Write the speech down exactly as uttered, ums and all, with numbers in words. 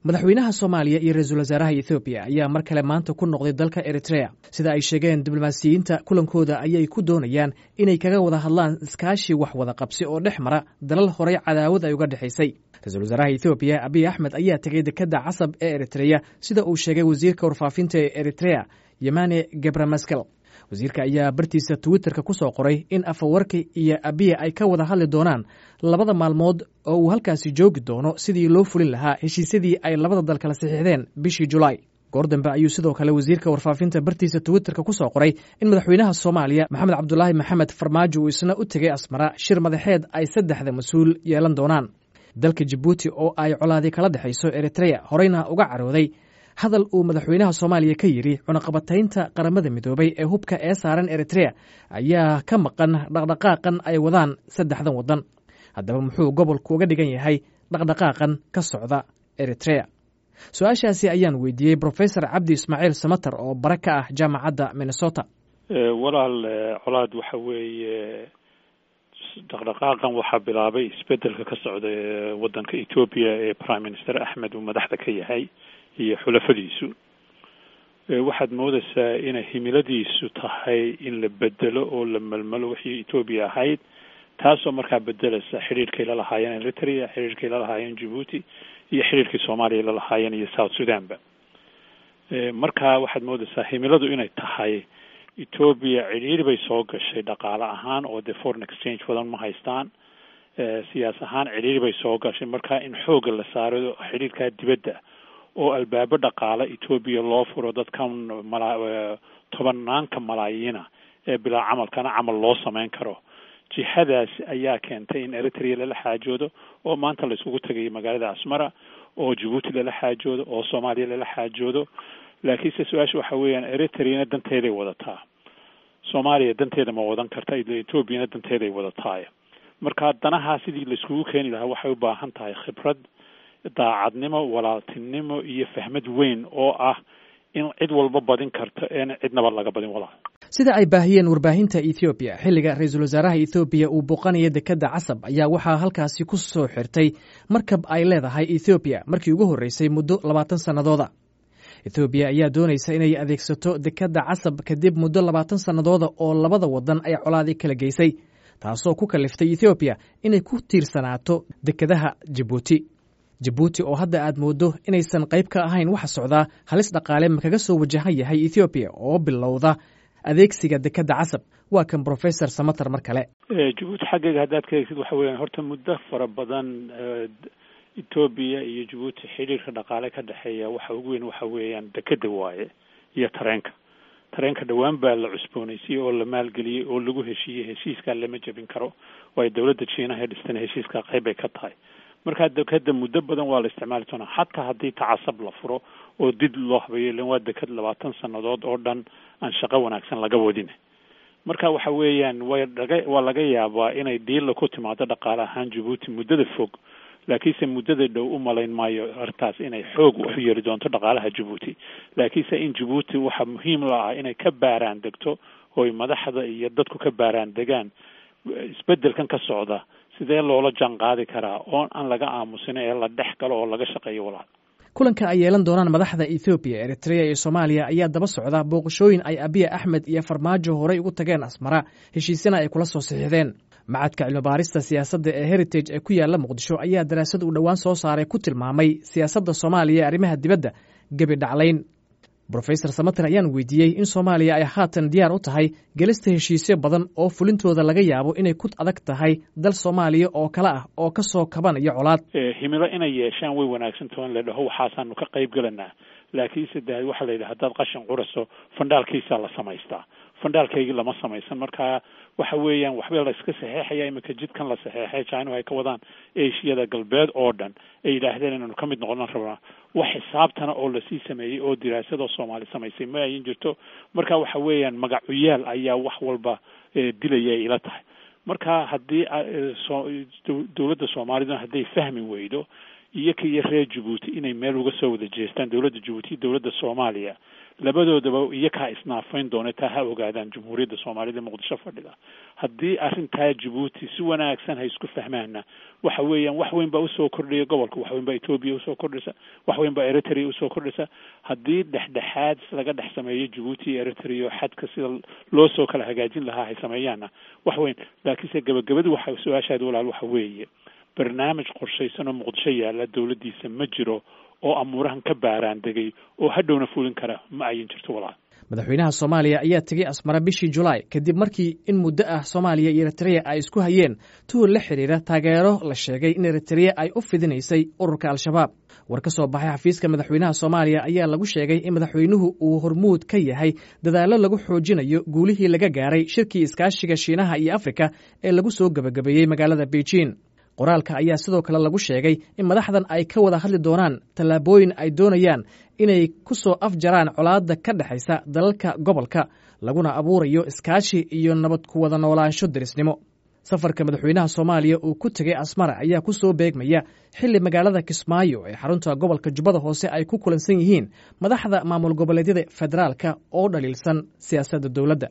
Madaxweynaha Soomaaliya iyo ra-iisul wasaaraha Ethoobiya ayaa mar kale maanta ku noqday dalka Eritrea. Sida ay sheegeen diblomaasiyiinta, kulankooda ayay ku doonayaan inay kaga wada hadlaan iskaashi wax wada qabsi oo dhex mara dalal horey cadaawad ay uga dhexaysay. Ra-iisul wasaaraha Ethoobiya Abiy Axmed ayaa tegey dekadda Casab ee Eritreya, sida uu sheegay wasiirka warfaafinta ee Eritrea Yemane Gebramaskel. Wasiirka ayaa bartiisa Twitterka ku soo qoray in Afawarki iyo Abiya ay ka wada hadli doonaan labada maalmood oo uu halkaasi joogi doono sidii loo fulin lahaa heshiisyadii ay labada dal kala saxiixdeen bishii Julaay. Goor dambe ayuu sidoo kale wasiirka warfaafinta bartiisa Twitterka ku soo qoray in madaxweynaha Soomaaliya Maxamed Cabdulaahi Maxamed Farmaajo uu isna u tegey Asmara shir madaxeed ay saddexda mas-uul yeelan doonaan. Dalka Jabuuti oo ay colaadi kala dhexayso Eritreya horeyna uga carooday hadal uu madaxweynaha Soomaaliya ka yidhi cunaqabataynta Qaramada Midoobay ee hubka ee saaran Eritrea ayaa ka maqan dhaqdhaqaaqan ay wadaan saddexdan waddan. Haddaba muxuu gobolku uga dhigan yahay dhaqdhaqaaqan ka socda Eritrea? Su-aashaasi ayaan weydiiyey Brofesor Cabdi Ismaaciil Samater oo bare ka ah jaamacadda Minnesota. Walaal Colaad, waxa weeye dhaqdhaqaaqan waxaa bilaabay isbedelka ka socda ee waddanka Etoobiya ee Prime Minister Axmed uu madaxda ka yahay iyo xulafadiisu. Waxaad moodaysaa inay himiladiisu tahay in la bedelo oo la melmelo wixii Etoobiya ahayd, taasoo markaa bedelaysa xidhiirkay la lahaayeen Eritrea, xidhiirkay la lahaayeen Djibuuti iyo xidhiirkii Soomaaliya la lahaayeen iyo South Sudanba. Marka waxaad moodaysaa himiladu inay tahay Etoobiya cidhiiri bay soo gashay dhaqaale ahaan oo dee foreign exchange badan ma haystaan, siyaas ahaan cidhiiri bay soo gashay. Marka in xoogga la saaro xidhiirkaa dibadda oo albaabo dhaqaale Etoobiya loo furo, dadkan mala tobanaanka malaayiina ee bilaa camalkana camal loo samayn karo. Jihadaas ayaa keentay in Eritrea lala xaajoodo oo maanta la iskugu tagayo magaalada Asmara, oo Djibuuti lala xaajoodo, oo Soomaaliya lala xaajoodo. Laakiinse su-aasha waxa weeyaan, Eritreana danteeday wadataa, Soomaaliya danteeda ma wadan karta, Etoobiyana danteeday wadataay. Marka danahaa sidii la iskugu keeni lahaa waxay u baahan tahay khibrad, daacadnimo, walaaltinimo iyo fahmad weyn oo ah in cid walba badin karto een cidnaba laga badin, walaal. Sida ay baahiyeen warbaahinta Ethoobiya, xilliga ra-iisul wasaaraha Ethoobiya uu booqanaya dekadda Casab ayaa waxaa halkaasi ku soo xirtay markab ay leedahay Ethoobiya markii ugu horreysay muddo labaatan sannadooda. Ethoobiya ayaa doonaysa inay adeegsato dekadda Casab kadib muddo labaatan sannadooda oo labada waddan ay colaadi kala geysay, taasoo ku kaliftay Ethoobiya inay ku tiirsanaato dekadaha Jabuuti. Jabuuti oo hadda aad mooddo inaysan qayb ka ahayn waxa socdaa, halis dhaqaale ma kaga soo wajahan yahay Ethoobiya oo bilowda adeegsiga dekadda Casab? Waa kan Brofesor Samater mar kale. Jabuuti xaggeega haddaad ka eegtid, waxa weeyaan horta muddo fara badan Etoobiya iyo Jabuuti xidhiirka dhaqaale ka dhexeeya waxa ugu weyn waxa weeyaan dekadda waaye iyo tareenka. Tareenka dhowaan baa la cusboonaysiiyey oo la maalgeliyey oo lagu heshiiyey, heshiiskaa lama jebin karo, waayo dowladda Jiinaha ee dhistana heshiiskaa qayb bay ka tahay. Markaa dekadda muddo badan waa la isticmaali doonaa, xataa haddii tacasab la furo oo did loo habeeyo, ilan waa dekad labaatan sannadood oo dhan aan shaqo wanaagsan laga wadin. Marka waxa weeyaan way laga waa laga yaabaa inay dhiila ku timaado dhaqaale ahaan Jabuuti muddada fog, laakiinse muddada dhow u malayn maayo arrintaas inay xoog u yeeri doonto dhaqaalaha Jabuuti. Laakiinse in Jabuuti waxaa muhiim la ah inay ka baaraan degto ooy madaxda iyo dadku ka baaraan degaan isbedelkan ka socda sidee loola jaan qaadi karaa oon aan laga aamusin ee la dhex galo oo laga shaqeeyo, walaal. Kulanka ay yeelan doonaan madaxda Ethoobiya, Eritrea iyo Soomaaliya ayaa daba socda booqashooyin ay Abiya Axmed iyo Farmaajo horey ugu tageen Asmara, heshiisyana ay kula soo saxiixdeen. Macadka cilmibaarista siyaasadda ee Heritage ee ku yaalla Muqdisho ayaa daraasad uu dhowaan soo saaray ku tilmaamay siyaasadda Soomaaliya ee arrimaha dibadda gebi dhaclayn. Brofesor Samater ayaan weydiiyey in Soomaaliya ay haatan diyaar u tahay gelista heshiisyo badan oo fulintooda laga yaabo inay ku adag tahay dal Soomaaliya oo kale ah oo ka soo kabanaya colaad. Himilo inay yeeshaan way wanaagsantaho in la dhaho waxaasaanu ka qayb gelanaa, laakiinse de waxaa la yidhaha haddaad qashin curaso fandhaalkiisaa la samaystaa, fandhaalkaygii lama samaysan. Marka waxa weeyaan waxba la iska saxeexaya iminka jidkan la saxeexay China ay ka wadaan Ashiyada galbeed oo dhan ay yidhaahdeen inaanu ka mid noqonan rabnaa, wax xisaabtana oo lasii sameeyey oo diraasado Soomaali samaysay ma ayin jirto. Marka waxa weeyaan magacuyaal ayaa wax walba dilaya ila tahay. Marka haddii dowladda Soomaaliduna hadday fahmi weydo Iyaka iyo reer Jabuuti inay meel uga soo wada jeestaan, dowladda Jabuuti iyo dowladda Soomaaliya labadoodaba iyakaa isnaafayn doona. Taa ha ogaadaan Jamhuuriyadda Soomaalida Muqdisho fadhida. Haddii arrintaa Jabuuti si wanaagsan hay isku fahmaana, waxa weeyaan wax weyn baa usoo kordhaya gobolka, wax weyn baa Etoobiya usoo kordhaysa, wax weyn baa Eritrea usoo kordhaysa. Haddii dhexdhexaad laga dhex sameeyo Jabuuti iyo Eritrea, xadka sida loo soo kala hagaajin lahaa hay sameeyaanna, wax weyn. Laakiinse gabagabadu waxa su-aashaadi walaal waxa weeye, barnaamij qorshaysan oo Muqdisho yaalla dowladdiisa ma jiro oo amuurahan ka baaraan degay oo hadhowna fulin kara, ma ayan jirto walaal. Madaxweynaha Soomaaliya ayaa tegey Asmara bishii Julaay kadib markii in muddo ah Soomaaliya iyo Eritrea ay isku hayeen tuhul la xidhiira taageero la sheegay in Eritrea ay u fidinaysay ururka Al-Shabaab. War ka soo baxay xafiiska madaxweynaha Soomaaliya ayaa lagu sheegay in madaxweynuhu uu hormuud ka yahay dadaallo lagu xoojinayo guulihii laga gaaray shirkii iskaashiga Shiinaha iyo Afrika ee lagu soo gebagabeeyey magaalada Beijing. Qoraalka ayaa sidoo kale lagu sheegay in madaxdan ay ka wada hadli doonaan tallaabooyin ay doonayaan inay ku soo afjaraan colaadda ka dhexaysa dalalka gobolka, laguna abuurayo iskaashi iyo nabad ku wada noolaansho derisnimo. Safarka madaxweynaha Soomaaliya uu ku tegey Asmara ayaa ku soo beegmaya xilli magaalada Kismaayo ee xarunta gobolka Jubbada Hoose ay ku kulansan yihiin madaxda maamul goboleedyada federaalka oo dhaliilsan siyaasadda dowladda.